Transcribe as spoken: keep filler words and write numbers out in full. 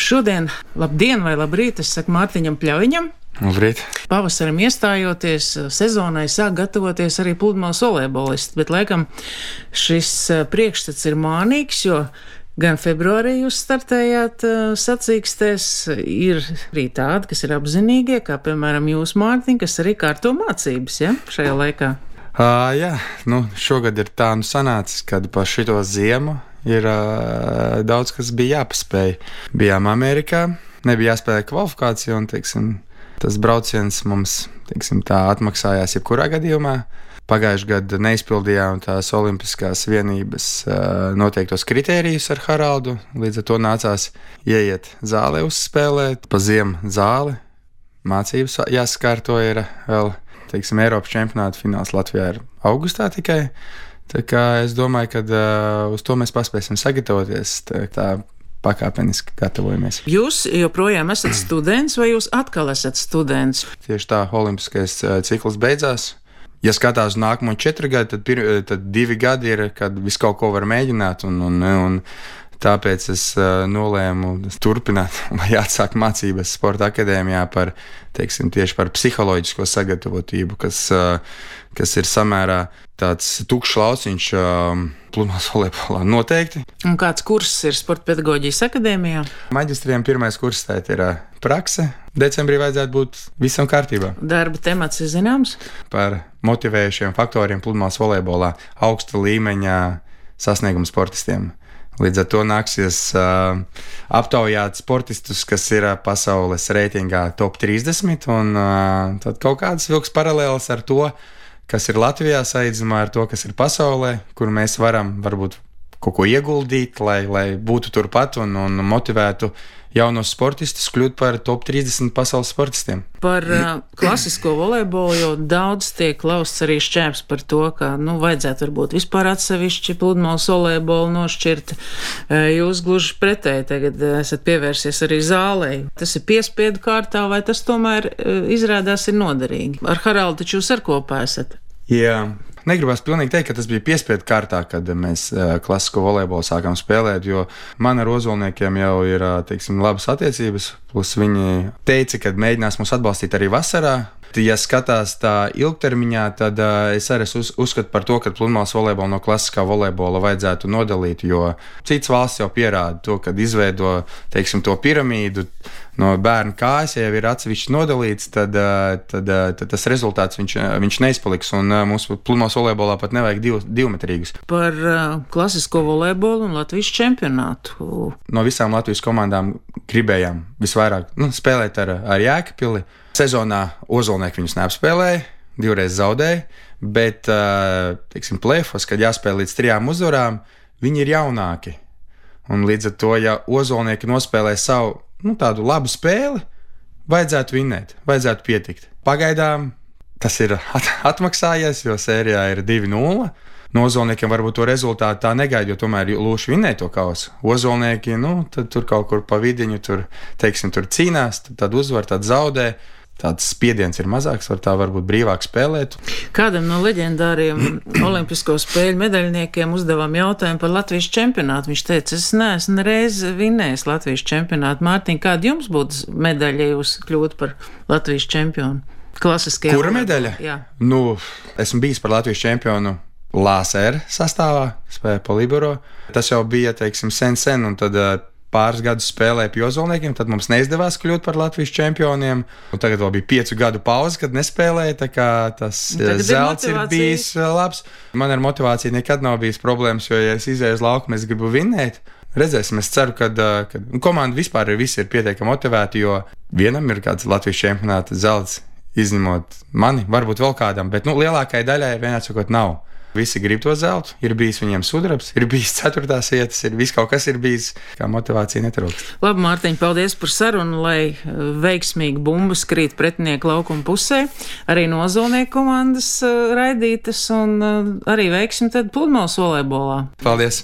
Šodien labdien vai labrīt, es saku Mārtiņam Pļaviņam. Labrīt. Pavasaram iestājoties, sezonai sāk gatavoties arī pludmales volejbolisti, bet laikam šis priekšstats ir mānīgs, jo gan februārī jūs startējāt sacīkstēs, ir arī tādi, kas ir apzinīgie, kā piemēram jūs, Mārtiņ, kas arī kārto mācības, ja, šajā laikā. Uh, jā, nu šogad ir tā nu sanācis, kad pa šito ziemu ir uh, daudz, kas bija jāpaspēj. Bijām Amerikā, nebija jāspēlē kvalifikācija un, teiksim, tas brauciens mums, teiksim, tā atmaksājās jebkurā gadījumā. Pagājušajā gadā neizpildījām tās olimpiskās vienības uh, noteiktos kritērijus ar Haraldu, līdz ar to nācās ieiet zālē uzspēlēt, pa ziemu zāli, mācības jāsakārto ir vēl, teiksim, Eiropas čempionāta fināls Latvijā ir augustā tikai. Tā kā es domāju, ka uh, uz to mēs paspēsim sagatavoties, tā, tā pakāpeniski gatavojamies. Jūs joprojām esat students vai jūs atkal esat students? Tieši tā, olimpiskais uh, cikls beidzās. Ja skatās uz nākamo četru gadu, tad, pir, tad divi gadi ir, kad visu kaut ko var mēģināt, un, un, un tāpēc es uh, nolēmu turpināt vai atsākt mācības sporta akadēmijā par, teiksim, tieši par psiholoģisko sagatavotību, kas, uh, kas ir samērā tāds tukšs lauciņš uh, pludmales volejbolā noteikti. Un kāds kurss ir sporta pedagoģijas akadēmijā? Maģistriem pirmais kurs tēt ir uh, prakse. Decembrī vajadzētu būt visam kārtībā. Darba temats ir zināms? Par motivējušiem faktoriem pludmales volejbolā, augsta līmeņa sasniegumu sportistiem. Līdz ar to nāksies uh, aptaujāt sportistus, kas ir uh, pasaules reitingā top trīsdesmit, un uh, tad kaut kādas vilks paralēlas ar to, kas ir Latvijā saīdzumā ar to, kas ir pasaulē, kur mēs varam varbūt kaut ko ieguldīt, lai, lai būtu turpat un, un motivētu jaunos sportistus kļūt par top trīsdesmit pasaules sportistiem. Par uh, klasisko volejbolu jau daudz tiek lausts arī šķēps par to, ka, nu, vajadzētu varbūt vispār atsevišķi pludmales volejbolu nošķirt. Uh, jūs gluži pretēji tagad esat pievērsies arī zālei. Tas ir piespiedu kārtā, vai tas tomēr uh, izrādās ir noderīgi? Ar Haraldu taču jūs ar kopā esat? Jā. Negribas pilnīgi teikt, ka tas bija piespiedu kārtā, kad mēs uh, klasisko volejbolu sākām spēlēt, jo man ar ozolniekiem jau ir, uh, teiksim, labas attiecības, plus viņi teica, ka mēģinās mūs atbalstīt arī vasarā. Ja skatās tā ilgtermiņā, tad uh, es arī uz, uzskatu par to, ka pludmales volejbolu no klasiskā volejbola vajadzētu nodalīt, jo citas valsts jau pierāda to, kad izveido, teiksim, to piramīdu no bērnu kājas, ja jau ir atsevišķi nodalīts, tad, uh, tad, uh, tad tas rezultāts viņš, viņš neizpaliks, un uh, mūsu pludmales volejbolā pat nevajag div, divmetrīgus. Par uh, klasisko volejbolu un Latvijas čempionātu. No visām Latvijas komandām gribējām visvairāk nu, spēlēt ar, ar Jēkabpili. Sezonā ozolnieki viņus neapspēlēja, divreiz zaudēja, bet, teiksim, play-offs, kad jāspēlē līdz trijām uzvarām, viņi ir jaunāki. Un līdz ar to, ja ozolnieki nospēlē savu, nu, tādu labu spēli, vajadzētu vinnēt, vajadzētu pietikt. Pagaidām tas ir at- atmaksājies, jo sērijā ir divi nulle. No ozolniekiem varbūt to rezultātu tā negaida, jo tomēr lūši vinnēja to kausu. Ozolnieki, nu, tad tur kaut kur pa vidiņu, tur, teiksim, tur cīnās, tad, tad uzvar, tad zaudē. Tāds spiediens ir mazāks, var tā varbūt brīvāk spēlēt. Kādam no leģendāriem olimpisko spēļu medaļniekiem uzdevām jautājumu par Latvijas čempionātu. Viņš teica, es neesmu reiz vinnējis Latvijas čempionātu. Mārtiņ, kāda jums būtu medaļa, ja jūs kļūtu par Latvijas čempionu? Klasiskajā. Kura medaļa? Jā. Nu, esmu bijis par Latvijas čempionu Lāsēra sastāvā, spēlēja pa libero. Tas jau bija, teiksim, sen, sen, un tad pāris gadus spēlēja pie ozolniekiem, tad mums neizdevās kļūt par Latvijas čempioniem. Un tagad vēl bija piecu gadu pauze, kad nespēlēja, tā kā tas zelts ir, ir bijis labs. Man ar motivāciju nekad nav bijis problēmas, jo, ja es izēju uz laukumu, es gribu vinnēt. Redzēsim, es ceru, ka komanda vispār ir, visi ir pietiekami motivēti, jo vienam ir kāds Latvijas čempionāta zelts, izņemot mani, varbūt vēl kādam, bet, nu, lielākai daļai vienāds sakot nav. Visi grib to zeltu, ir bijis viņiem sudrabs, ir bijis ceturtās vietas, ir viss kaut kas ir bijis, kā motivācija netrūkst. Labi, Mārtiņ, paldies par sarunu, lai veiksmīgi bumbas krīt pretinieku laukuma pusē, arī no ozolnieku komandas raidītas un arī veiksim tad pludmales volejbolā. Paldies!